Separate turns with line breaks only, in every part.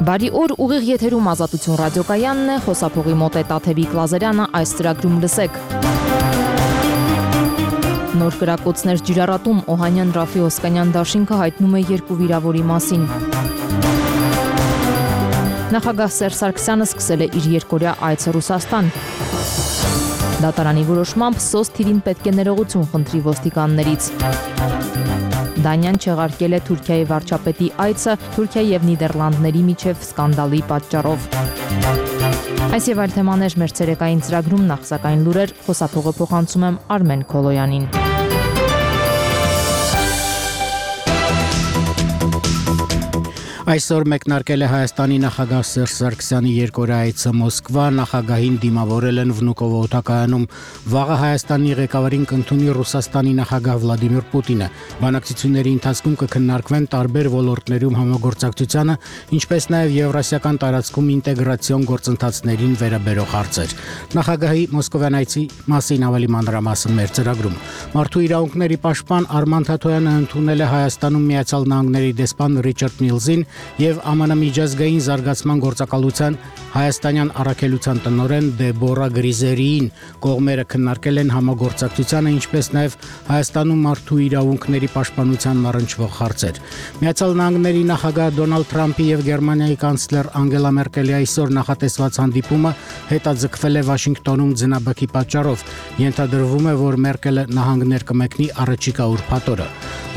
Բարի օր, ուղիղ եթերում Ազատություն ռադիոկայանն է, խոսափողի մոտ է Տաթևիկ Լազարյանը, այս ծրագրում լսեք։ Նոր կրակոցներ ջրառատում Օհանյան Ռաֆի Օսկանյան դաշինքը հայտնում է 2 վիրավորի մասին։ Նախագահ Սերժ Սարգսյանը սկսել է իր երկօրյա այցը Ռուսաստան։ Դատարանի որոշմամբ SOS թիվին պետք է ներողություն խնդրի ոստիկաններից։ Դանիան չեղարկել է Թուրքիայի վարչապետի այցը Թուրքիայի եւ Նիդերլանդների միջև սկանդալի պատճառով։ Այս եւ այլ թեմաներ մեր ցերեկային ծրագրում, նախ սակայն լուրեր, խոսափողը փոխանցում եմ Արմեն Քոլոյանին։
Այսօր մեկնարկել է Հայաստանի նախագահ Սերժ Սարգսյանի երկօրյա այցը Մոսկվա, նախագահին դիմավորել են Վնուկովո օդակայանում։ Վաղը Հայաստանի ղեկավարին կընդունի Ռուսաստանի նախագահ Վլադիմիր Պուտինը։ Բանակցությունների ընթացքում կքննարկվեն տարբեր ոլորտներում համագործակցությանը, ինչպես նաև եվրասիական տարածքում ինտեգրացիոն գործընթացներին վերաբերող հարցեր։ Նախագահի մոսկովյան այցի մասին ավելի մանրամասն մեր ծրագրում։ Մարդու իրավունքների պաշտպան Արման Թաթոյանը ընդունել է Հայաստանում Միացյալ Նահանգների դեսպան Ռիչարդ Միլզին եւ ԱՄՆ միջազգային զարգացման գործակալության հայաստանյան առաքելության տնօրեն Դեբորա Գրիզերիին կողմերը քննարկել են համագործակցությանը, ինչպես նաեւ Հայաստանում մարդու իրավունքների պաշտպանությանն առնչվող հարցեր։ Միացյալ Նահանգների նախագահ Դոնալդ Թրամփի եւ Գերմանիայի կանցլեր Անգելա Մերկելի այսօր նախատեսված հանդիպումը հետաձգվել է Վաշինգտոնում ձնաբակի պատճառով։ Ենթադրվում է, որ Մերկելը նահանգներ կմեկնի առաջիկա ուրբաթ օրը։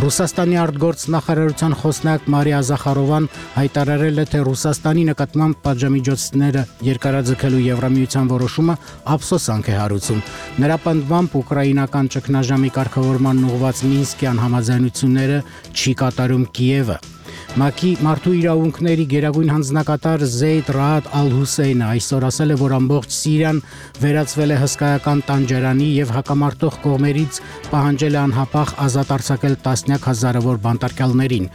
Ռուսաստանի արտգործնախարարության խոսնակ Մարիա Զախարովան հայտարարել է, թե Ռուսաստանի նկատմամբ պատժամիջոցները երկարաձգելու Եվրամիության որոշումը ափսոսանք է հարուցում։ Նրա պնդմամբ ուկրաինական ճգնաժամի կարգավորման ուղղված Մինսկյան համաձայնությունները չի կատարում Կիևը։ ՄԱԿ-ի մարդու իրավունքների գերագույն հանձնակատար Զեյդ Ռաադ Ալ-Հուսեյնը այսօր ասել է, որ ամբողջ Սիրիան վերածվել է հսկայական տանջարանի եւ հակամարտող կողմերից պահանջել է անհապաղ ազատ արձակել տասնյակ հազարավոր բանտարկյալներին։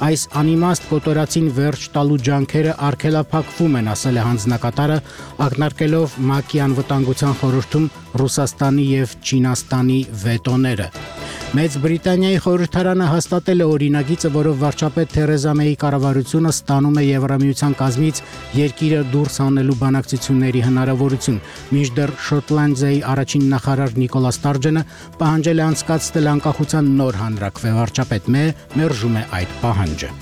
Այս անիմաստ կոտորածին վերջ տալու ջանքերը արգելափակվում են, ասել է հանձնակատարը, ակնարկելով ՄԱԿ-ի անվտանգության խորհրդում Ռուսաստանի եւ Չինաստանի վետոները։ Մեծ Բրիտանիայի խորհրդարանը հաստատել է օրինագիծը, որով վարչապետ Թերեզա Մեյի կառավարությունը ստանում է Եվրամիության կազմից երկիրը դուրս հանելու բանակցությունների հնարավորություն։ Մինչդեռ Շոտլանդիայի առաջին նախարար Նիկոլա Ստարջենը պահանջել է անցկացնել անկախության նոր հանրաքվե։ Վարչապետ Մեյը մերժում է այդ պահանջը։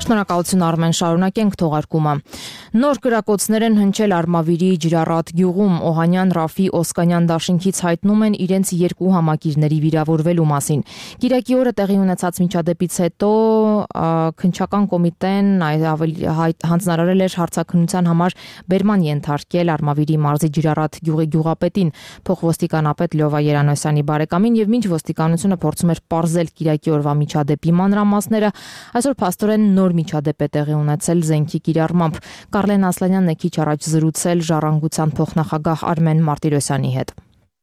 Շնորհակալություն Արմեն, շարունակենք թողարկումը։ Նոր կրակոցներ են հնչել Արմավիրի ջրառատ գյուղում։ Օհանյան Ռաֆի Օսկանյան դաշինքից հայտնում են իրենց 2 համակիրների վիրավորվելու մասին։ Կիրակի օրը տեղի ունեցած միջադեպից հետո քննչական կոմիտեն հանձնարարել էր հարցաքննության համար բերման ենթարկել Արմավիրի մարզի ջրառատ գյուղի գյուղապետին, փոխոստիկանապետ Լյովա Երանոսյանի բարեկամին, եւ մինչ ոստիկանությունը փորձում էր պարզել Կիրակի օրվա միջադեպի մանրամասները, այսօր փաստորեն նոր միջադեպ է տեղի ունեցել զենքի կիրառմամբ։ Կարլեն Ասլանյանն է քիչ առաջ զրուցել Ժառանգության փոխնախագահ Արմեն Մարտիրոսյանի հետ։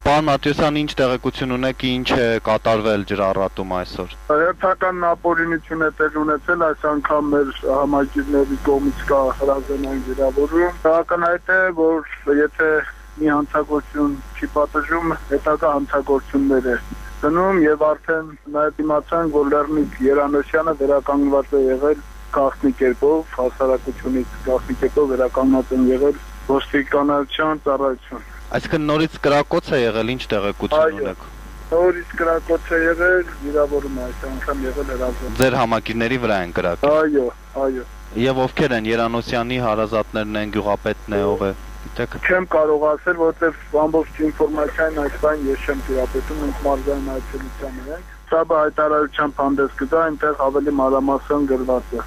Պարոն Մարտիրոսյան, ինչ տեղեկություն ունեք, ինչ է կատարվել ջրառատում այսօր։
Հերթական ապօրինություն է տեղի ունեցել, այս անգամ մեր համակիրների կողմից կա հրազենային վիրավորում։ Ակնհայտ է, որ եթե մի հանցագործություն չի պատժում, հետագա հանցագործություններ է դնում եւ արդեն նաեւ իմացան, որ Լեռնիկ Երանոսյանը վերականգնված է եղել գաղտնի կերպով, հասարակությունից գաղտնի կերպով վերականգնած են եղել ոստիկանության ծառայություն։
Այսինքն նորից կրակոց է եղել, ինչ տեղեկություն ունեք։
Նորից կրակոց է եղել, վիրավորում է այս անգամ եղել հրազեն։
Ձեր համակիրների վրա են կրակել։
Այո։
Եվ ովքեր են Երանոսյանի հարազատներն են, գյուղապետն է, ով է։
Չեմ կարող ասել, որտեղ ամբողջ ինֆորմացիան այս բան ես չեմ տիրապետում, մենք մարզային այցելության ենք։ Սա հայտարարությամբ հանդես կգա, այնտեղ ավելի մանրամասն գրված է։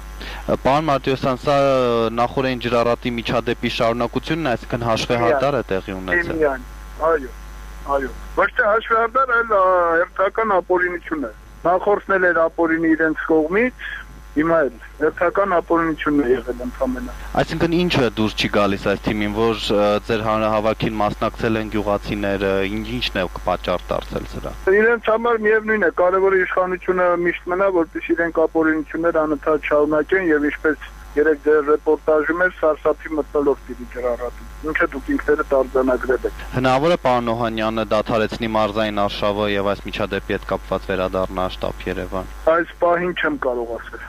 Պարոն Մարտիրոսյան, սա նախորդին ջրառատի միջադեպի շարունակությունն է, այսինքն հաշվեհարդար է տեղի ունեցել։ Այո։ Ոչ թե հաշվեհարդար, այլ հերթական ապօրինություն է։ Նախորդն էր ապօրինի իրենց կողմից, հիմա էլ հերթական ապօրինություն է եղել ընդամենը։ Այսինքն ինչը դուրս չի գալիս այս թիմին, որ ձեր հանրահավաքին մասնակցել են գյուղացիները, ինչն է պատճառ դարձել սրա։
Իրենց համար միևնույն է, կարևորը իշխանությունը միշտ մնա, որպեսզի իրենք ապօրինություններ անընդհատ շարունակեն եւ ինչպես երեք ձեր ռեպորտաժում էր սարսափի մտնոլորտ դիրի ջրառատում, ինչը դուք ինքներդ արձանագրել եք։
Հնարավոր է պարոն Օհանյանը դադարեցնի մարզային արշավը եւ այս միջադեպի հետ կապված վերադառնա շտաբ Երևան։
Այս պահին չեմ կարող ասել։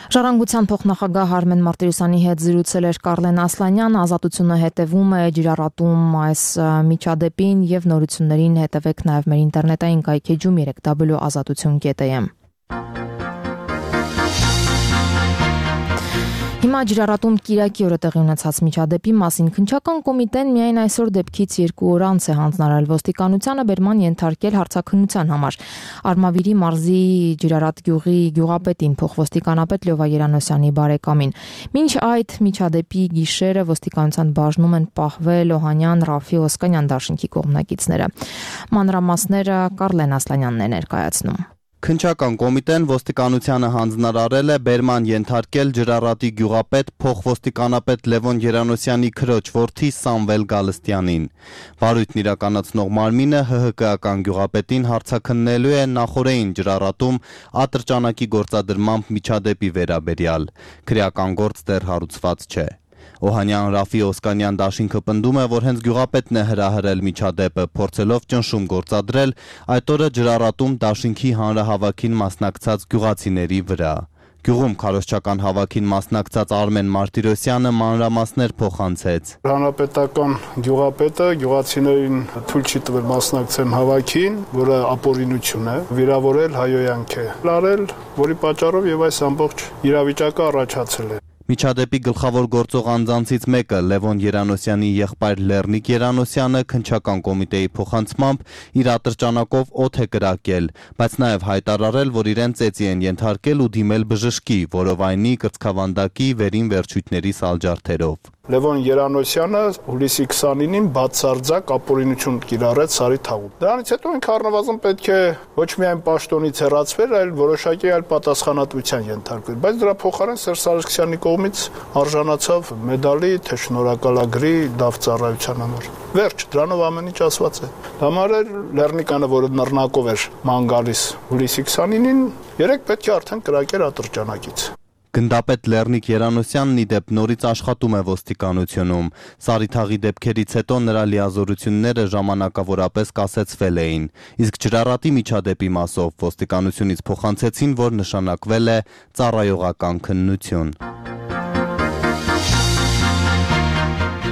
Ժառանգության փոխնախագահ Արմեն Մարտիրոսյանի հետ զրուցել էր Կարլեն Ասլանյան, Ազատությունը հետևում է ջրառատում այս միջադեպին եւ նորություններին հետևեք նաեւ մեր ինտերնետային կայքեջում 3w.azatutun.am։ Հիմա ջրառատում Կիրակի օրը տեղի ունեցած միջադեպի մասին քննչական կոմիտեն միայն այսօր դեպքից 2 օր անց է հանձնարարել ոստիկանությանը բերման ենթարկել հարցաքննության համար։ Արմավիրի մարզի ջրառատ գյուղի գյուղապետին փոխոստիկանապետ Լյովա Երանոսյանի բարեկամին։ Մինչ այդ միջադեպի գիշերը ոստիկանության բաժնում են պահվել Օհանյան, Ռաֆի Օսկանյան դաշինքի կողմնակիցները։ Մանրամասները Կարլեն Ասլանյանն է ներկայացնում։
Քննչական կոմիտեն ոստիկանությանը հանձնարարել է բերման ենթարկել ջրառատի գյուղապետ փոխոստիկանապետ Լևոն Երանոսյանի քրոջ որդի Սամվել Գալստյանին։ Վարույթն իրականացնող մարմինը ՀՀԿ-ական գյուղապետին հարցաքննելու է նախօրեին ջրառատում ատրճանակի գործադրմամբ միջադեպի վերաբերյալ։ Քրեական գործ դեռ հարուցված չէ։ Օհանյան Ռաֆի Օսկանյան դաշինքը պնդում է, որ հենց գյուղապետն է հրահրել միջադեպը, փորձելով ճնշում գործադրել այդ օրը ջրառատում դաշինքի հանրահավաքին մասնակցած գյուղացիների վրա։ Գյուղում քարոզչական հավաքին մասնակցած Արմեն Մարտիրոսյանը մանրամասներ փոխանցեց։
Հանրապետական գյուղապետը գյուղացիներին թույլ չի տվել մասնակցեն հավաքին, որը ապօրինություն է, վիրավորել հայոյանք է լարել, որի պատճառով եւ այս ամբողջ իրավիճակը առաջացել է։
Միջադեպի գլխավոր գործող անձանցից մեկը Լևոն Երանոսյանի եղբայր Լեռնիկ Երանոսյանը քննչական կոմիտեի փոխանցմամբ իր ատրճանակով օդ է կրակել, բայց նաև հայտարարել, որ իրեն ծեծի են ենթարկել ու դիմել բժշկի, որովայնի կրծքավանդակի վերին վերջույթների սալջարդերով։
Լևոն Երանոսյանը հուլիսի 29-ին բացարձակ ապօրինություն կիրառեց Սարի թաղում։ Դրանից հետո ինքը առնվազն պետք է ոչ միայն պաշտոնից հեռացվել, այլ որոշակի այլ պատասխանատվության ենթարկվել, բայց դրա փոխարեն Սերժ Սարգսյանի կողմից արժանացավ մեդալի, թե շնորհակալագրի դավծառայության համար։ Վերջ, դրանով ամեն ինչ ասված է։ Համար էր Լեռնիկանը, որը նռնակով էր ման գալիս հուլիսի 29-ին, երեք պետք է արդեն կրակեր ատրճանակից։
Գնդապետ Լեռնիկ Երանոսյանն ի դեպ նորից աշխատում է ոստիկանությունում։ Սարիթաղի դեպքերից հետո նրա լիազորությունները ժամանակավորապես կասեցվել էին։ Իսկ ջրառատի միջադեպի մասով ոստիկանությունից փոխանցեցին, որ նշանակվել է ծառայողական քննություն։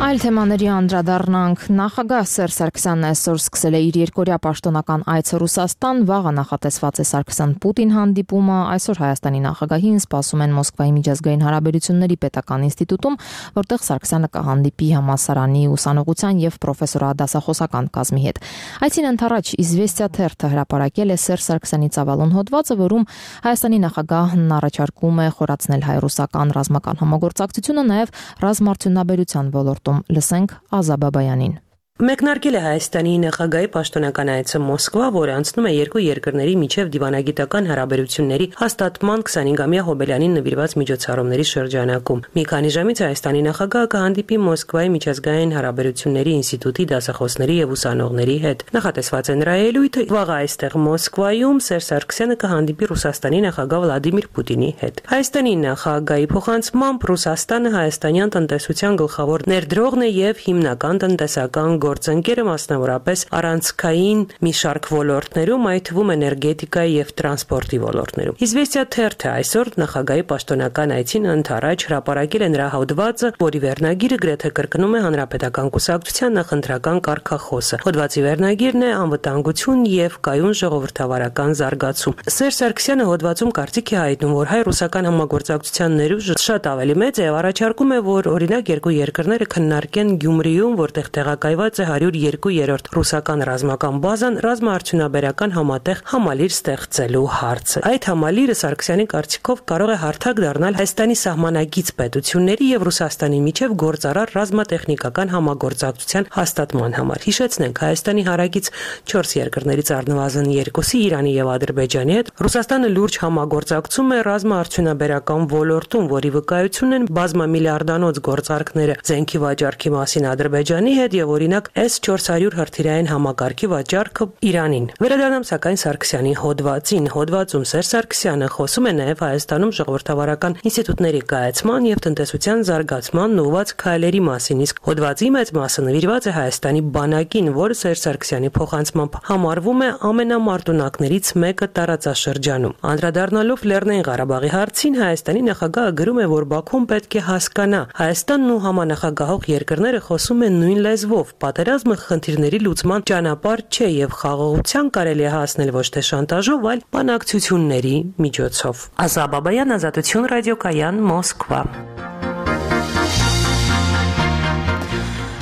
Այլ թեմաների անդրադառնանք։ Նախագահ Սերժ Սարգսյանն այսօր սկսել է իր երկօրյա պաշտոնական այցը Ռուսաստան, վաղը նախատեսված է Սարգսյան-Պուտին հանդիպումը, այսօր Հայաստանի նախագահին սպասում են Մոսկվայի միջազգային հարաբերությունների պետական ինստիտուտում, որտեղ Սարգսյանը կհանդիպի համալսարանի ուսանողության եւ պրոֆեսորադասախոսական կազմի հետ։ Այցին ընթരാճ Իզվեստիա թերթը հրապարակել է Սերժ Սարգսյանի ծավալուն հոդվածը, որում Հայաստանի նախագահն առաջարկում է խորացնել հայ-ռուսական ռազմական համագործակցությունը նաեւ ռազմաարդյունաբերության ոլորտում։ Լսենք Ազա Բաբայանին։
Մեկնարկել է Հայաստանի նախագահի պաշտոնական այցը Մոսկվա, որը անցնում է երկու երկրների միջև դիվանագիտական հարաբերությունների հաստատման 25-ամյա հոբելյանին նվիրված միջոցառումների շրջանակում։ Մի քանի ժամից Հայաստանի նախագահը կհանդիպի Մոսկվայի միջազգային հարաբերությունների ինստիտուտի դասախոսների եւ ուսանողների հետ։ Նախատեսված է նրա ելույթը վաղ այստեղ Մոսկվայում Սերժ Սարգսյանը կհանդիպի Ռուսաստանի նախագահ Վլադիմիր Պուտինի հետ։ Հայաստանի նախագահի փոխանցմամբ Ռուսաստանը հայաստանյան տնտեսության գլխավոր ներդրողն է եւ հիմնական տնտեսական գործընկերը մասնավորապես առանցքային մի շարք ոլորտներում, այդ թվում էներգետիկայի եւ տրանսպորտի ոլորտներում։ Իզվեստիա թերթը այսօր նախագահի պաշտոնական այցին ընթരാճ հրապարակել է նրա հոդվածը, որի վերնագիրը գրեթե կրկնում է հանրապետական կուսակցության նախընտրական կարգախոսը։ Հոդվածի վերնագիրն է անվտանգություն եւ կայուն ժողովրդավարական զարգացում։ Սերժ Սարգսյանը հոդվածում կարծիք է հայտնում, որ հայ-ռուսական համագործակցության ներուժը շատ ավելի մեծ է եւ առաջարկում է, որ օրինակ երկու երկրները քննարկեն Գյումրիում, որտեղ տեղակայված 102-րդ ռուսական ռազմական բազան ռազմաարդյունաբերական համատեղ համալիր ստեղծելու հարցը։ Այդ համալիրը Սարգսյանի կարծիքով կարող է հարթակ դառնալ Հայաստանի սահմանագից պետությունների եւ Ռուսաստանի միջև գործարար ռազմատեխնիկական համագործակցության հաստատման համար։ Հիշեցնենք, Հայաստանի հարակից 4 երկրներից առնվազն 2-ի Իրանի եւ Ադրբեջանի հետ Ռուսաստանը լուրջ համագործակցում է ռազմաարդյունաբերական ոլորտում, որի վկայությունն են բազմամիլիարդանոց գործարքները զենքի վաճառքի մասին Ադրբեջանի հետ եւ օրինակ օրինակ S400 հրթիռային համակարգի վաճառքը Իրանին։ Վերադառնամ սակայն Սարգսյանի հոդվածին։ Հոդվածում Սերժ Սարգսյանը խոսում է նաև Հայաստանում ժողովրդավարական ինստիտուտների կայացման եւ տնտեսության զարգացման ուղղված քայլերի մասին, իսկ հոդվածի մեծ մասը նվիրված է Հայաստանի բանակին, որը Սերժ Սարգսյանի փոխանցմամբ համարվում է ամենամարտունակներից մեկը տարածաշրջանում։ Անդրադառնալով Լեռնային Ղարաբաղի հարցին, Հայաստանի նախագահը գրում է, որ Բաքուն պետք է հասկանա, Հայաստանն ու համանախագահող երկրները խոսում են նույն լեզվով։ Պատերազմը խնդիրների լուծման ճանապարհ չէ եւ խաղաղության կարելի է հասնել ոչ թե շանտաժով, այլ բանակցությունների միջոցով։ Ազա Բաբայան, Ազատություն ռադիոկայան, Մոսկվա։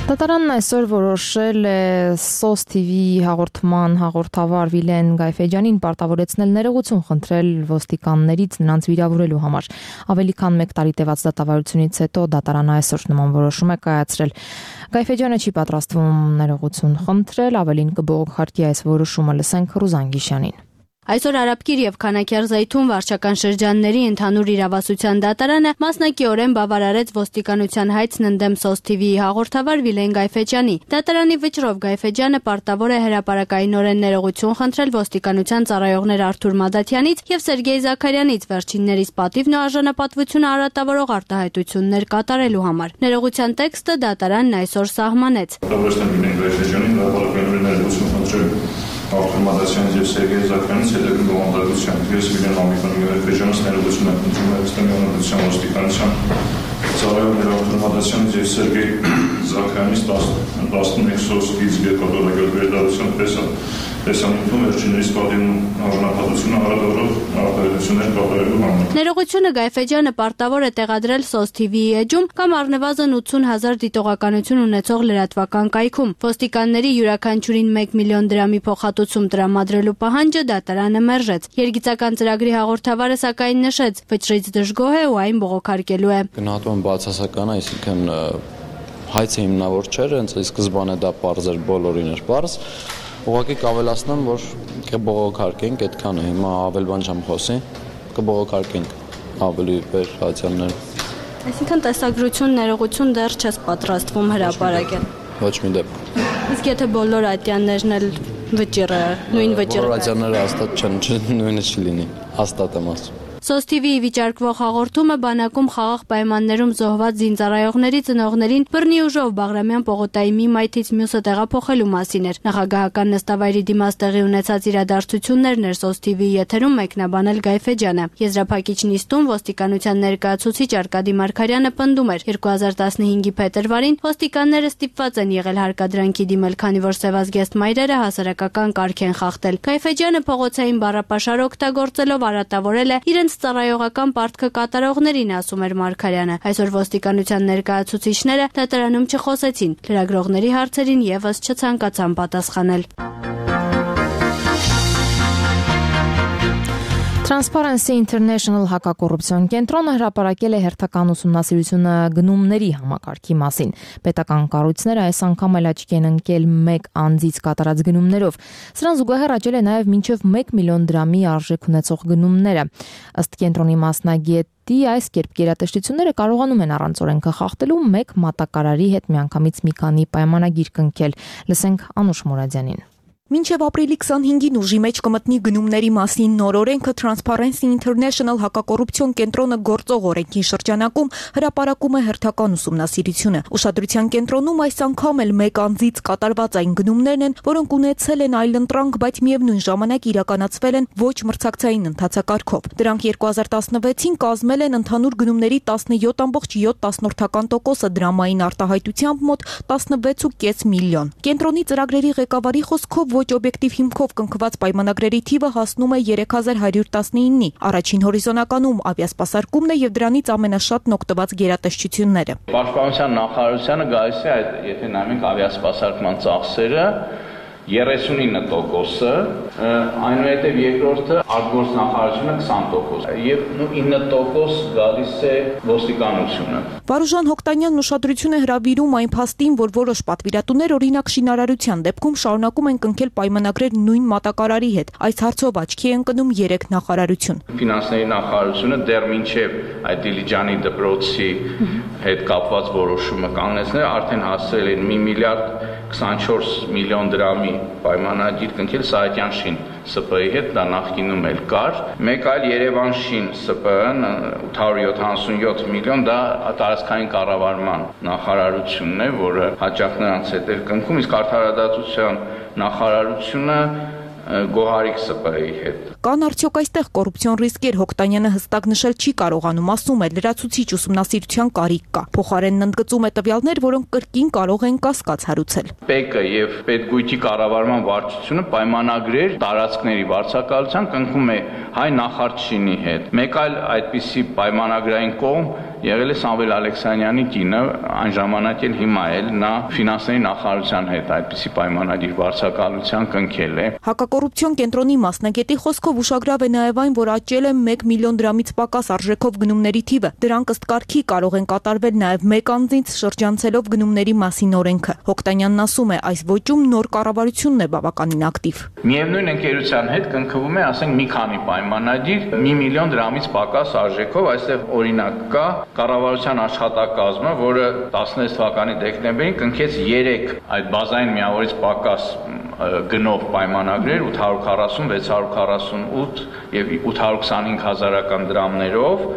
Դատարանն այսօր որոշել է SOS TV-ի հաղորդման հաղորդավար Վիլեն Գայֆեջյանին պարտավորեցնել ներողություն խնդրել ոստիկաններից նրանց վիրավորելու համար։ Ավելի քան 1 տարի տևած դատավարությունից հետո դատարանը այսօր նման որոշում է կայացրել։ Գայֆեջյանը չի պատրաստվում ներողություն խնդրել, ավելին կբողոքարկի այս որոշումը, լսենք Ռուզան Գիշյանին։
Այսօր Արաբկիր եւ Քանաքերզայթուն վարչական շրջանների ընդհանուր իրավասության դատարանը մասնակիորեն բավարարեց ոստիկանության հայցն ընդդեմ SOS TV-ի հաղորդավար Վիլեն Գայֆեջյանի։ Դատարանի վճռով Գայֆեջյանը պարտավոր է հրապարակայինորեն ներողություն խնդրել ոստիկանության ծառայողներ Արթուր Մադաթյանից եւ Սերգեյ Զաքարյանից վերջիններիս պատիվն ու արժանապատվությունը արատավորող արտահայտություններ կատարելու համար։ Ներողության տեքստը դատարանն այսօր սահմանեց։
Արթուր Մադաթյանից եւ Սերգեյ Զաքարյանից հետագա բովանդակությամբ ես Վիլեն Գայֆեջյանից ներողություն եմ խնդրում Հայաստանի Հանրապետության ոստիկանության ծառայողներ Արթուր Մադաթյանից եւ Սերգեյ Զաքարյանից 11 SOS-ից կատարած վերդառության տեսանյութում վերջիններիս պատիվն արժանապատվությունը հարաբերող արտահայտություններ կատարելու համար։
Ներողությունը Գայֆեջյանը պարտավոր է տեղադրել SOS TV-ի էջում կամ առնվազն 80,000 դիտողականություն ունեցող լրատվական կայքում։ Ոստիկանների յուրաքանչյուրին 1 միլիոն դրամի փոխհատուցում տրամադրելու պահանջը դատարանը մերժեց։ Երգիծական ծրագրի հաղորդավարը սակայն նշեց, վճռից դժգոհ է ու այն բողոքարկելու է։
Գնահատում եմ բացասական, այսինքն հայցը հիմնավոր չէր, հենց սկզբանե դա պարզ էր, բոլորին էր պարզ։ Ուղղակի կավելացնեմ, որ կբողոքարկենք այդքանը, հիմա ավել բան չեմ խոսի, կբողոքարկենք ավելի վերհացյաններ։
Այսինքն տեսագրություն, ներողություն դեռ չես պատրաստվում հրապարակել։
Ոչ մի դեպքում։
Իսկ եթե բոլոր ատյաններն էլ վճիռը, նույն վճիռը։
Բոլոր ատյանները հաստատ չեն, նույնը չի լինի, հաստատ եմ ասում։
SOS TV-ի վիճարկվող հաղորդումը բանակում խաղաղ պայմաններում զոհված զինծառայողների ծնողներին բռնի ուժով Բաղրամյան պողոտայի մի մայթից մյուսը տեղափոխելու մասին էր։ Նախագահական նստավայրի դիմաց տեղի ունեցած իրադարձություններն էր SOS TV-ի եթերում մեկնաբանել Գայֆեջյանը։ Եզրափակիչ նիստում ոստիկանության ներկայացուցիչ Արկադի Մարգարյանը պնդում էր 2015-ի փետրվարին ոստիկանները ստիպված են եղել հարկադրանքի դիմել, քանի որ սևազգեստ մայրերը հասարակական կարգ են խախտել։ Գայֆեջյանը փողոցային բառապաշար օգտագործելով արատավորել է իրենց ծառայողական պարտքը կատարողներին, ասում էր Մարգարյանը։ Այսօր ոստիկանության ներկայացուցիչները դատարանում չխոսեցին, լրագրողների հարցերին եւս չցանկացան պատասխանել։
Transparency International հակակոռուպցիոն կենտրոնը հրապարակել է հերթական ուսումնասիրությունը գնումների համակարգի մասին։ Պետական կառույցները այս անգամ էլ աչքի են ընկել 1 անձից կատարած գնումներով։ Սրան զուգահեռ աճել է նաև մինչև 1 միլիոն դրամի արժեք ունեցող գնումները։ Ըստ կենտրոնի մասնագետի, այս կերպ գերատեսչությունները կարողանում են առանց օրենքը խախտելու 1 մատակարարի հետ միանգամից մի քանի պայմանագիր կնքել։ Լսենք Անուշ Մուրադյանին։
Մինչև ապրիլի 25-ին ուժի մեջ կմտնի գնումների մասին նոր օրենքը Transparency International հակակոռուպցիոն կենտրոնը գործող օրենքի շրջանակում հրապարակում է հերթական ուսումնասիրությունը։ Ուշադրության կենտրոնում այս անգամ էլ 1 անձից կատարված այն գնումներն են, որոնք ունեցել են այլընտրանք, բայց միևնույն ժամանակ իրականացվել են ոչ մրցակցային ընթացակարգով։ Դրանք 2016-ին կազմել են ընդհանուր գնումների 17.7%, դրամային արտահայտությամբ մոտ 16.5 միլիոն։ Կենտրոնի ծրագրերի ղեկավարի խոսքով ոչ օբյեկտիվ հիմքով կնքված պայմանագրերի թիվը հասնում է 3119-ի։ Առաջին հորիզոնականում ավիասպասարկումն է եւ դրանից ամենաշատն օգտված գերատեսչությունները։
Պաշտպանության նախարարությանը գալիս է այդ, եթե նայենք ավիասպասարկման ծախսերը 39%-ը, այնուհետև երկրորդը արտգործնախարարությունը 20% եւ 9% գալիս է ոստիկանությունը։
Վարուժան Հոկտանյանն ուշադրություն է հրավիրում այն փաստին, որ որոշ պատվիրատուներ օրինակ շինարարության դեպքում շարունակում են կնքել պայմանագրեր նույն մատակարարի հետ։ Այս հարցով աչքի է ընկնում 3 նախարարություն։
Ֆինանսների նախարարությունը դեռ մինչև այդ Դիլիջանի դպրոցի հետ կապված որոշումը կանգնեցնել արդեն հասել են 1 միլիարդ 24 միլիոն դրամի պայմանագիր կնքել Սահակյան-Շին ՍՊԸ-ի հետ, դա նախկինում էլ կար։ Մեկ այլ Երևան-Շին ՍՊԸ-ն 877 միլիոն, դա տարածքային կառավարման նախարարությունն է, որը հաճախ նրանց հետ էր կնքում, իսկ արդարադատության նախարարությունը Գոհարիկ ՍՊԸ-ի հետ։
Կան արդյոք այստեղ կոռուպցիոն ռիսկեր, Հոկտանյանը հստակ նշել չի կարողանում, ասում է, լրացուցիչ ուսումնասիրության կարիք կա։ Փոխարենն ընդգծում է տվյալներ, որոնք կրկին կարող են կասկած հարուցել։
ՊԵԿ-ը եւ Պետգույթի կառավարման վարչությունը պայմանագրեր տարածքների վարձակալության կնքում է հայ նախարարչինի հետ։ Մեկ այլ այդպիսի պայմանագրային կողմ եղել է Սամվել Ալեքսանյանի կինը, այն ժամանակ էլ հիմա էլ նա ֆինանսների նախարարության հետ այդպիսի պայմանագիր վարձակալության կնքել է։
Հակակոռուպցիոն կենտրոնի մասնագետի խոսքով ուշագրավ է նաև այն, որ աճել է 1 միլիոն դրամից պակաս արժեքով գնումների թիվը։ Դրանք ըստ կարգի կարող են կատարվել նաև մեկ անձից շրջանցելով գնումների մասին օրենքը։ Հոկտանյանն ասում է, այս ոճում նոր կառավարությունն է բավականին ակտիվ։
Միևնույն ընկերության հետ կնքվում է, ասենք, մի քանի պայմանագիր 1 միլիոն դրամից պակաս արժեքով, այստեղ օրինակ կա կառավարության աշխատակազմը, որը 16 թվականի դեկտեմբերին կնքեց 3 այդ բազային միավորից պակաս գնով պայմանագրեր 840, 648 եւ 825 հազարական դրամներով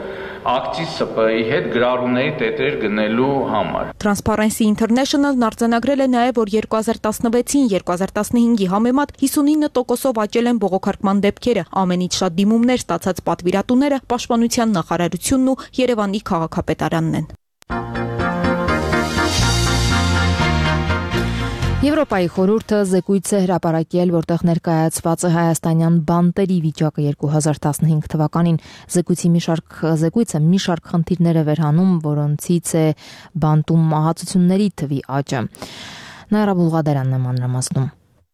ակցիզ ՍՊԸ-ի հետ գրառումների տետեր գնելու համար։
Transparency International-ն արձանագրել է նաև, որ 2016-ին 2015-ի համեմատ 59%-ով աճել են բողոքարկման դեպքերը, ամենից շատ դիմումներ ստացած պատվիրատուները Պաշտպանության նախարարությունն ու Երևանի քաղաքապետարանն են։
Եվրոպայի խորհուրդը զեկույց է հրապարակել, որտեղ ներկայացված է հայաստանյան բանտերի վիճակը 2015 թվականին։ Զեկույցը մի շարք խնդիրներ է վերհանում, որոնցից է բանտում մահացությունների թվի աճը։ Նաիրա Բուլղադարյանն է մանրամասնում։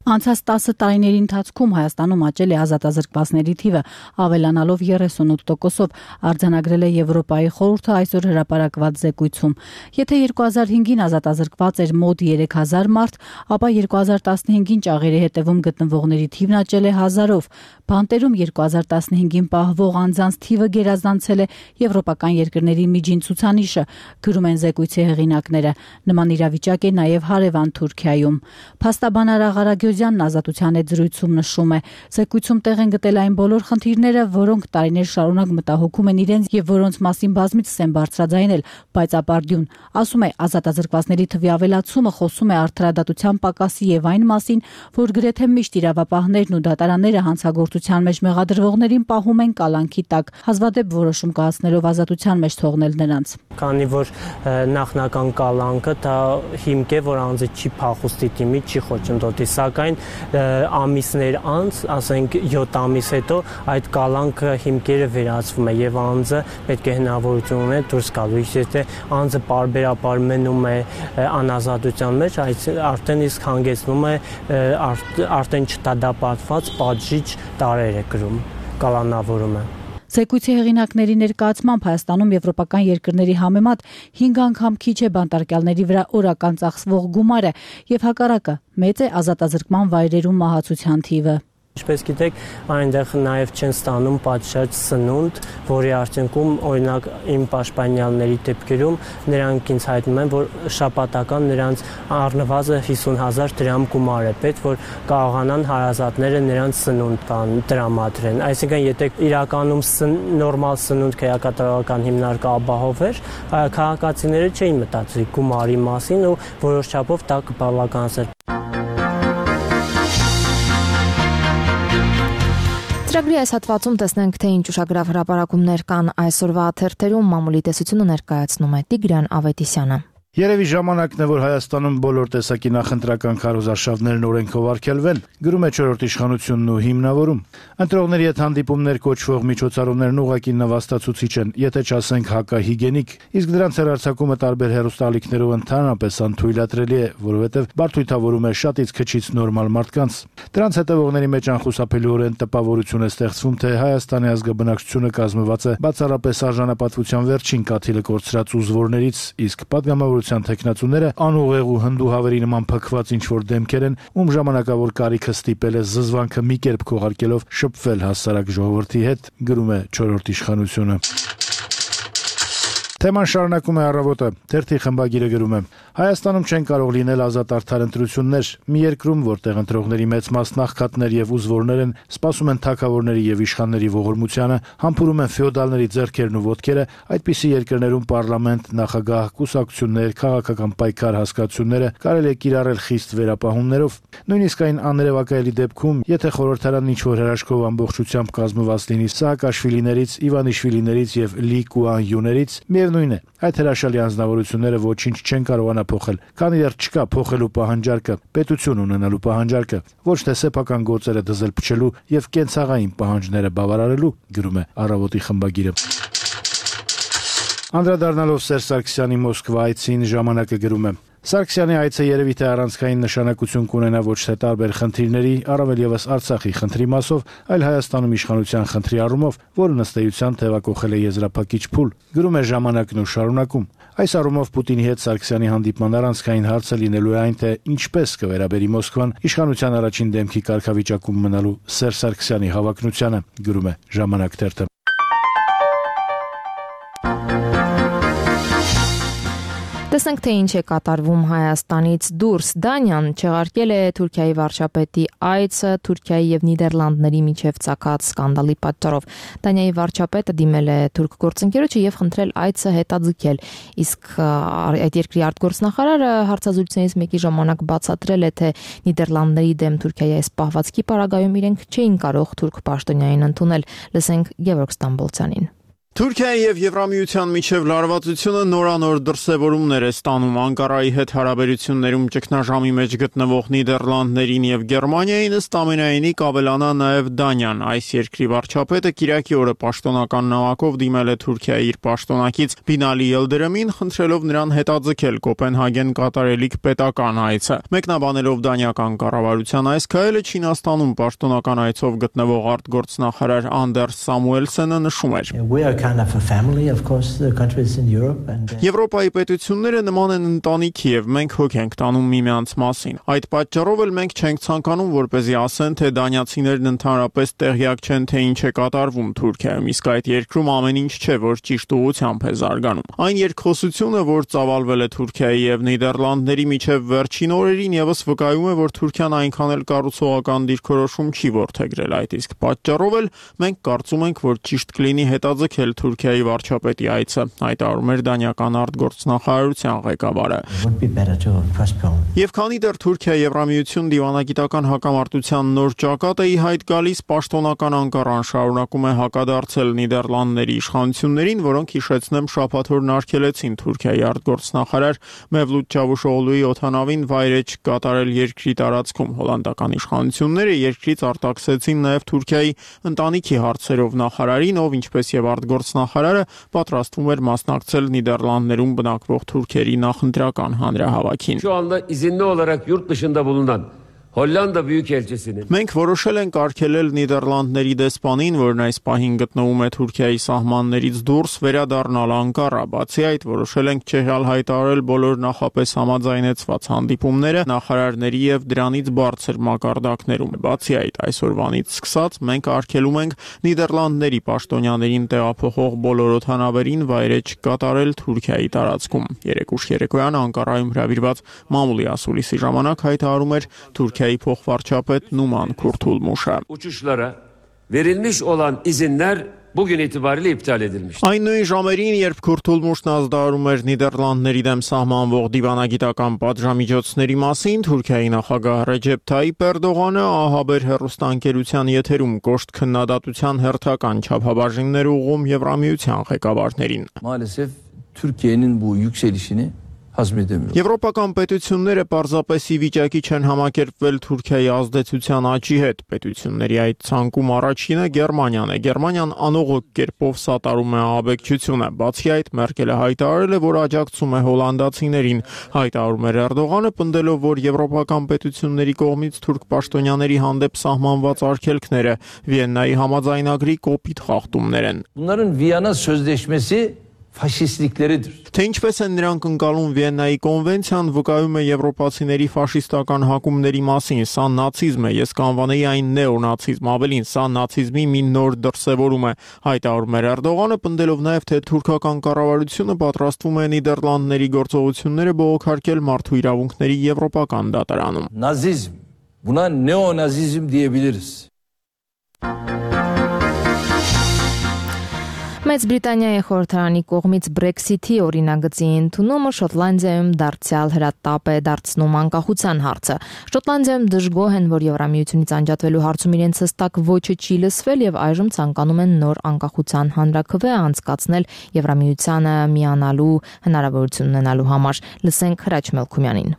Անցած 10 տարիների ընթացքում Հայաստանում աճել է ազատազրկվածների թիվը, ավելանալով 38%-ով, արձանագրել է Եվրոպայի խորհուրդը այսօր հրապարակված զեկույցում։ Եթե 2005-ին ազատազրկված էր մոտ 3000 մարդ, ապա 2015-ին ճաղերի հետևում գտնվողների թիվն աճել է 1000-ով։ Բանտերում 2015-ին պահվող անձանց թիվը գերազանցել է եվրոպական երկրների միջին ցուցանիշը, գրում են զեկույցի հեղինակները։ Նման իրավիճակ է նաև հարևան Թուրքիայում։ Փաստաբան Ղարագյոզյանն Ազատության հետ զրույցում նշում է. զեկույցում տեղ են գտել այն բոլոր խնդիրները, որոնք տարիներ շարունակ մտահոգում են իրենց եւ որոնց մասին բազմիցս են բարձրաձայնել, բայց ապարդյուն, ասում է, ազատազրկվածների թվի ավելացումը խոսում է արդարադատության պակասի եւ այն մասին, որ գրեթե միշտ իրավապահներն ու դատարանները հանցագործության մեջ մեղադրվողներին պահում են կալանքի տակ, հազվադեպ որոշում կայացնելով ազատության մեջ թողնել նրանց։
Քանի որ նախնական կալանքը դա հիմք է, որ անձը չի փախուստի դիմի, չի խոչընդոտի, սակայն ամիսներ անց, ասենք 7 ամիս հետո այդ կալանքը հիմքերը վերացվում է եւ անձը պետք է հնարավորություն ունենա դուրս գալու։ Եթե անձը պարբերաբար մնում է անազատության մեջ, արդեն իսկ հանգեցնում է արդեն չդատապարտված պատժիչ տարեր է կրում կալանավորումը։
Զեկույցի հեղինակների ներկայացմամբ Հայաստանում եվրոպական երկրների համեմատ 5 անգամ քիչ է բանտարկյալների վրա օրական ծախսվող գումարը եւ հակառակը մեծ է ազատազրկման վայրերում մահացության թիվը։
Ինչպես գիտեք, այնտեղ նաև չեն ստանում պատշաճ սնունդ, որի արդյունքում, օրինակ, իմ պաշտպանյալների դեպքերում նրանք ինձ հայտնում են, որ շաբաթական նրանց առնվազն 50,000 դրամ գումար է պետք, որ կարողանան հարազատները նրանց սնունդ տրամադրեն։ Այսինքն, եթե իրականում նորմալ սնունդ քերակատարողական հիմնարկը ապահովեր, քաղաքացիները չէին մտածի գումարի մասին ու որոշ չափով դա կբավականացներ։
Ծրագրի այս հատվածում տեսնենք, թե ինչ ուշագրավ հրապարակումներ կան այսօրվա թերթերում, մամուլի տեսությունը ներկայացնում է Տիգրան Ավետիսյանը։
Երևի ժամանակն է, որ Հայաստանում բոլոր տեսակի նախընտրական քարոզարշավներն օրենքով արգելվեն, գրում է 4-րդ իշխանությունն ու հիմնավորում։ Ընտրողների հետ հանդիպումներ կոչվող միջոցառումներն ուղղակի նվաստացուցիչ են, եթե չասենք հակահիգենիկ, իսկ դրանց հեռարձակումը տարբեր հեռուստաալիքներով ընդհանրապես անթույլատրելի է, որովհետև բարդույթավորում է շատից քչից նորմալ մարդկանց։ Դրանց հետևողների մեջ անխուսափելիորեն տպավորություն է ստեղծվում, թե Հայաստանի ազգաբնակչությունը կազմված է բացառապես արժանապատվության վերջին կաթիլը կորցրած ուզվորներից, իսկ պատգամավորության թեկնածուները անուղեղ ու հնդուհավերի նման փքված ինչ-որ դեմքեր են, ում ժամանակավոր կարիքը ստիպել է զզվանքը մի կերպ քողարկելով շփվել հասարակ ժողովրդի հետ, գրում է 4-րդ իշխանությունը։ Թեման շարունակում է Առավոտը, թերթի խմբագիրը գրում է. Հայաստանում չեն կարող լինել ազատ արդար ընտրություններ, մի երկրում, որտեղ ընտրողների մեծ մասն աղքատներ եւ ուզվորներ են, սպասում են թագավորների եւ իշխանների ողորմությանը, համբուրում են ֆեոդալների ձեռքերն ու ոտքերը, այդպիսի երկրներում պարլամենտ, նախագահ, կուսակցություններ, քաղաքական պայքար հասկացությունները կարելի է կիրառել խիստ վերապահումներով։ Նույնիսկ այն աներևակայելի դեպքում, եթե խորհրդարանն ինչ-որ հրաշքով ամբողջությամբ կազմված լինի Սաակաշվիլիներից, Իվանիշվիլիներից եւ Լի Կուան-յուներից, միևնույն է, այդ հրաշալի անձնավորությունները ոչինչ չեն կարողանա փոխել, քանի դեռ չկա փոխելու պահանջարկը, պետություն ունենալու պահանջարկը, ոչ թե սեփական գործերը դզել փչելու եւ կենցաղային պահանջները բավարարելու, գրում է Առավոտի խմբագիրը։ Անդրադառնալով Սերժ Սարգսյանի Մոսկվա այցին, Ժամանակը գրում է. Սարգսյանի այցը երևի թե առանցքային նշանակություն կունենա ոչ թե տարբեր խնդիրների, առավել եւս Արցախի խնդրի մասով, այլ Հայաստանում իշխանության խնդրի առումով, որը ըստ էության թեւակոխել է եզրափակիչ փուլ, գրում է Ժամանակն ու շարունակում. Այս առումով Պուտինի հետ Սարգսյանի հանդիպման առանցքային հարցը լինելու է այն, թե ինչպես կվերաբերի Մոսկվան իշխանության առաջին դեմքի կարգավիճակում մնալու Սերժ Սարգսյանի հավակնությանը, գրում է Ժամանակ թերթը։
Տեսնենք, թե ինչ է կատարվում Հայաստանից դուրս։ Դանիան չեղարկել է Թուրքիայի վարչապետի այցը Թուրքիայի եւ Նիդերլանդների միջև ծագած սկանդալի պատճառով։ Դանիայի վարչապետը դիմել է թուրք գործընկերոջը եւ խնդրել այցը հետաձգել։ Իսկ այդ երկրի արտգործնախարարը հարցազրույցներից մեկի ժամանակ բացատրել է, թե Նիդերլանդների դեմ Թուրքիայի այս պահվածքի պարագայում իրենք չէին կարող թուրք պաշտոնյային ընդունել։ Լսենք Գևորգ Ստամբոլցյանին։
Թուրքիայի եւ Եվրամիության միջև լարվածությունը նորանոր դրսևորումներ է ստանում։ Անկարայի հետ հարաբերություններում ճգնաժամի մեջ գտնվող Նիդերլանդներին եւ Գերմանիային ըստ ամենայնի կավելանա նաեւ Դանիան։ Այս երկրի վարչապետը Կիրակի օրը պաշտոնական նամակով դիմել է Թուրքիայի իր պաշտոնակից Բինալի Ելդերեմին, խնդրելով նրան հետաձգել Կոպենհագեն կատարելիք պետական այցը։ Մեկնաբանելով դանիական կառավարության այս քայլը, Չինաստանում պաշտոնական այցով գտնվող արտգործնախարար Անդերս Սամուելսենը նշում էր. Եվրոպայի պետությունները նման են ընտանիքի եւ մենք հոգ ենք տանում միմյանց մասին։ Այդ պատճառով էլ մենք չենք ցանկանում, որպեսզի ասեն, թե դանիացիներն ընդհանրապես տեղյակ չեն, թե ինչ է կատարվում Թուրքիայում, իսկ այդ երկրում ամեն ինչ չէ, որ ճիշտ ուղղությամբ է զարգանում։ Այն երկխոսությունը, որ ծավալվել է Թուրքիայի եւ Նիդերլանդների միջև վերջին օրերին, եւս վկայում է, որ Թուրքիան այնքան էլ կառուցողական դիրքորոշում չի որդեգրել այդ, իսկ պատճառով էլ մենք կարծում ենք, որ ճիշտ կլինի հետաձգել Թուրքիայի վարչապետի այցը, հայտարարում էր դանիական արտգործնախարարության ղեկավարը։ Եվ քանի դեռ Թուրքիա-Եվրամիություն դիվանագիտական հակամարտության նոր ճակատ է ի հայտ գալիս, պաշտոնական Անկարան շարունակում է հակադարձել Նիդերլանդների իշխանություններին, որոնք հիշեցնեմ շաբաթօրն արգելեցին Թուրքիայի արտգործնախարար Մևլութ Չավուշօղլուի օդանավին վայրէջք կատարել երկրի տարածքում։ Հոլանդական իշխանությունները երկրից արտաքսեցին նաև Թուրքիայի ընտանիքի հարցերով նախարարին, ով ինչպես եւ արտգործնախարարը պատրաստվում էր մասնակցել Նիդերլանդներում բնակվող թուրքերի նախընտրական հանրահավաքին։
Şu anda izinli olarak yurt dışında bulunan Hollanda Büyükelçisi'nin
Մենք որոշել ենք արգելել Նիդերլանդների դեսպանին, որն այս պահին գտնվում է Թուրքիայի սահմաններից դուրս, վերադառնալ Անկարա։ Բացի այդ, որոշել ենք չեղյալ հայտարարել բոլոր նախապես համաձայնեցված հանդիպումները նախարարների եւ դրանից բարձր մակարդակներում։ Բացի այդ, այսօրվանից սկսած մենք արգելում ենք Նիդերլանդների պաշտոնյաներին տեղափոխող բոլոր օդանավերին վայրէջք կատարել Թուրքիայի տարածքում։ Երեկուշ երեկոյան Անկարայում հրավիրված մամուլի ասուլիսի ժամանակ հայտարարում էր Թուրքիայի փոխվարչապետ Numan Kurtulmuş'a.
Uçuşlara verilmiş olan izinler bugün itibariyle iptal edilmiş.
Այն նույն ժամերին, երբ Kurtulmuşն ազդարարում էր Նիդերլանդների դեմ սահմանվող դիվանագիտական պատժամիջոցների մասին, Թուրքիայի նախագահ Ռեջեփ Թայիփ Էրդողանը ահաբեր հեռուստաընկերության եթերում կոշտ քննադատության հերթական չափաբաժիններ ուղղում Եվրամիության ղեկավարներին.
Maalesef Türkiye'nin bu yükselişini hazmedemiyor.
Եվրոպական պետությունները պարզապես ի վիճակի չեն համակերպվել Թուրքիայի ազդեցության աճի հետ։ Պետությունների այդ ցանկում առաջինը Գերմանիան է։ Գերմանիան անողոք կերպով սատարում է ահաբեկչությունը։ Բացի այդ, Մերկելը հայտարարել է, որ աջակցում է հոլանդացիներին։ Հայտարարում էր Էրդողանը, պնդելով, որ եվրոպական պետությունների կողմից թուրք պաշտոնյաների հանդեպ սահմանված արգելքները Վիեննայի համաձայնագրի կոպիտ խախտումներ են։
Bunların Viyana Sözleşmesi faşistlikleridir.
Թե ինչպես են նրանք ընկալում Վիեննայի կոնվենցիան, վկայում է եվրոպացիների ֆաշիստական հակումների մասին, սա նացիզմ է, ես կանվանեի այն նեոնացիզմ, ավելին, սա նացիզմի մի նոր դրսևորում է, հայտարարում էր Էրդողանը, պնդելով նաև, թե թուրքական կառավարությունը պատրաստվում է Նիդերլանդների գործողությունները բողոքարկել մարդու իրավունքների եվրոպական դատարանում։
Nazizm, buna neonazizm diyebiliriz.
Մեծ Բրիտանիայի խորհրդարանի կողմից Brexit-ի օրինագծի ընդունումը Շոտլանդիայում դարձյալ հրատապ է դարձնում անկախության հարցը։ Շոտլանդիայում դժգոհ են, որ Եվրամիությունից անջատվելու հարցում իրենց հստակ ոչը չի լսվել եւ այժմ ցանկանում են նոր անկախության հանրաքվե անցկացնել Եվրամիությանը միանալու հնարավորություն ունենալու համար։ Լսենք Հրաչ Մելքումյանին։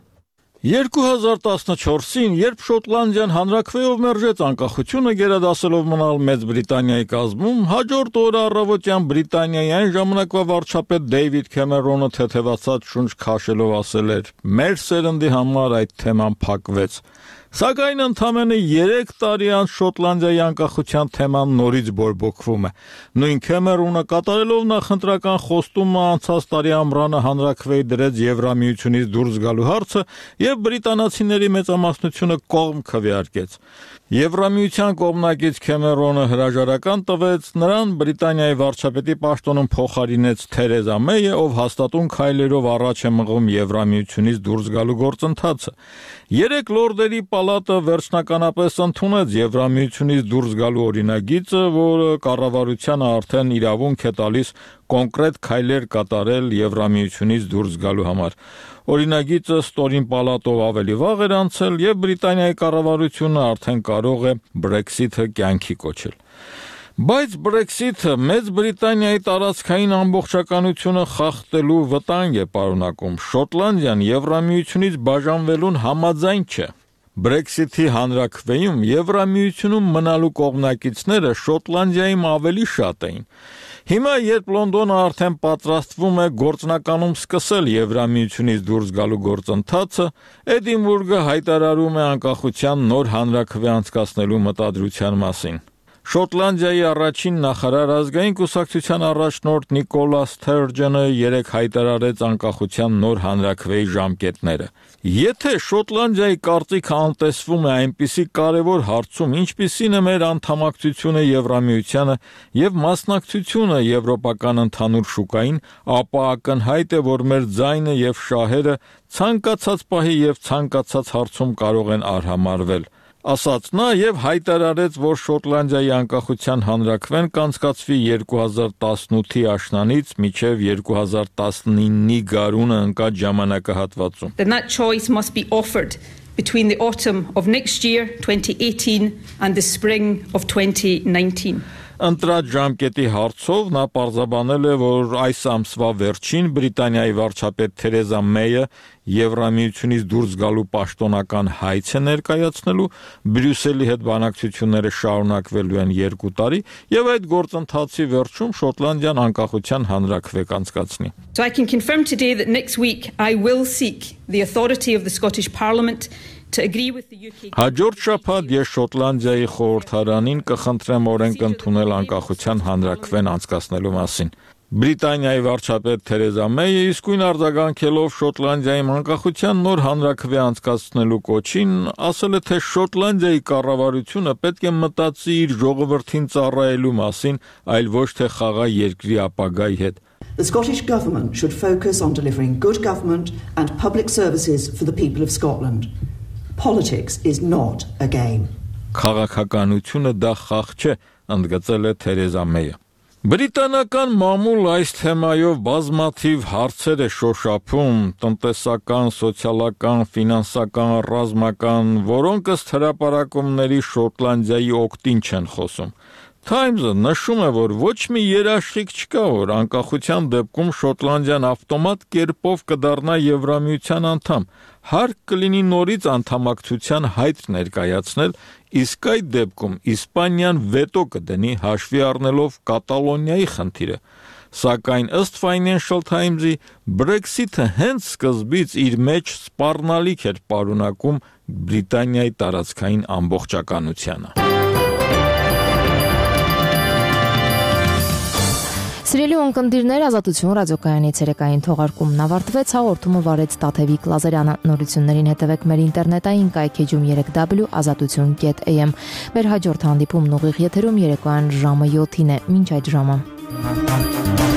2014-ին, երբ Շոտլանդիան հանրաքվեով մերժեց անկախությունը գերադասելով մնալ Մեծ Բրիտանիայի կազմում, հաջորդ օրը առավոտյան Բրիտանիայի այն ժամանակվա վարչապետ Դեյվիդ Քեմերոնը թեթևացած շունչ քաշելով ասել էր. «Մեր սերնդի համար այդ թեման փակվեց»։ Սակայն ընդամենը 3 տարի անց Շոտլանդիայի անկախության թեման նորից բորբոքվում է։ Նույն Քեմերոնը կատարելով նախընտրական խոստումը անցած տարի ամռանը հանրաքվեի դրեց Եվրամիությունից դուրս գալու հարցը եւ բրիտանացիների մեծամասնությունը կողմ քվեարկեց։ Եվրամիության կողմնակից Քեմերոնը հրաժարական տվեց, նրան Բրիտանիայի վարչապետի պաշտոնում փոխարինեց Թերեզա Մեյը, ով հաստատուն քայլերով առաջ է մղում Եվրամիությունից դուրս գալու գործընթացը։ 3 լորդերի պալատը վերջնականապես ընդունեց Եվրամիությունից դուրս գալու օրինագիծը, որը կառավարությանը արդեն իրավունք է տալիս կոնկրետ քայլեր կատարել Եվրամիությունից դուրս գալու համար։ Օրինագիծը ստորին պալատով ավելի վաղ էր անցել եւ Բրիտանիայի կառավարությունը արդեն կարող է Brexit-ը կյանքի կոչել։ Բայց Brexit-ը Մեծ Բրիտանիայի տարածքային ամբողջականությունը խախտելու վտանգ է պարունակում։ Շոտլանդիան Եվրամիությունից բաժանվելուն համաձայն չէ։ Brexit-ի հանրաքվեում Եվրամիությունում մնալու կողմնակիցները Շոտլանդիայում ավելի շատ էին։ Հիմա, երբ Լոնդոնը արդեն պատրաստվում է գործնականում սկսել Եվրամիությունից դուրս գալու գործընթացը, Էդինբուրգը հայտարարում է անկախության նոր հանրաքվե անցկացնելու մտադրության մասին։ Շոտլանդիայի առաջին նախարար ազգային կուսակցության առաջնորդ Նիկոլա Սթերջենը երեկ հայտարարեց անկախության նոր հանրաքվեի ժամկետները։ Եթե Շոտլանդիայի կարծիքը անտեսվում է այնպիսի կարևոր հարցում, ինչպիսին է մեր անդամակցությունը Եվրամիությանը եւ մասնակցությունը եվրոպական ընդհանուր շուկային, ապա ակնհայտ է, որ մեր ձայնը եւ շահերը ցանկացած պահի եւ ցանկացած հարցում կարող են արհամարվել։ Ասաց նա եւ հայտարարեց, որ Շոտլանդիայի անկախության հանրաքվեն կանցկացվի 2018-ի աշնանից մինչև 2019-ի գարունը ընկած ժամանակահատվածում։
Then that choice must be offered between the autumn of next year 2018 and the spring of 2019.
Ընտրած ժամկետի հարցով նա պարզաբանել է, որ այս ամսվա վերջին Բրիտանիայի վարչապետ Թերեզա Մեյը Եվրամիությունից դուրս գալու պաշտոնական հայց է ներկայացնելու, Բրյուսելի հետ բանակցությունները շարունակվելու են 2 տարի եւ այդ գործընթացի վերջում Շոտլանդիան անկախության հանրաքվե կանցկացնի։
So I can confirm today that next week I will seek the authority of the Scottish Parliament to agree with the UK.
Հաջորդ շաբաթ ես Շոտլանդիայի խորհրդարանին կխնդրեմ օրենք ընդունել անկախության հանրաքվեն անցկացնելու մասին։ Բրիտանիայի վարչապետ Թերեզա Մեյը իսկույն արձագանքելով Շոտլանդիայի անկախության նոր հանրաքվե անցկացնելու կոչին, ասել է, թե Շոտլանդիայի կառավարությունը պետք է մտածի իր ժողովրդին ծառայելու մասին, այլ ոչ թե խաղա երկրի ապագայի հետ։
The Scottish Government should focus on delivering good government and public services for the people of Scotland. Politics is not a game.
Քաղաքականությունը դա խաղ չէ, ընդգծել է Թերեզա Մեյը։ Բրիտանական մամուլ այս թեմայով բազմաթիվ հարցեր է շոշափում, տնտեսական, սոցիալական, ֆինանսական, ռազմական, որոնք ըստ հրապարակումների Շոտլանդիայի օգտին չեն խոսում։ Times-ը նշում է, որ ոչ մի երաշխիք չկա, որ անկախության դեպքում Շոտլանդիան ավտոմատ կերպով կդառնա Եվրամիության անդամ։ Հարկ կլինի նորից անդամակցության հայտ ներկայացնել, իսկ այդ դեպքում Իսպանիան վետո կդնի հաշվի առնելով Կատալոնիայի խնդիրը։ Սակայն ըստ Financial Times-ի Brexit-ը հենց սկզբից իր մեջ սպառնալիք էր պարունակում Բրիտանիայի տարածքային ամբողջականությանը։
Սիրելի ունկնդիրներ, Ազատություն ռադիոկայանի ցերեկային թողարկումն ավարտվեց, հաղորդումը վարեց Տաթևիկ Լազարյանը։ Նորություններին հետևեք մեր ինտերնետային կայքեջում 3w.azatutun.am։ Մեր հաջորդ հանդիպումն ուղիղ եթերում երեկոյան ժամը 7-ին է։ Մինչ այդ ժամը։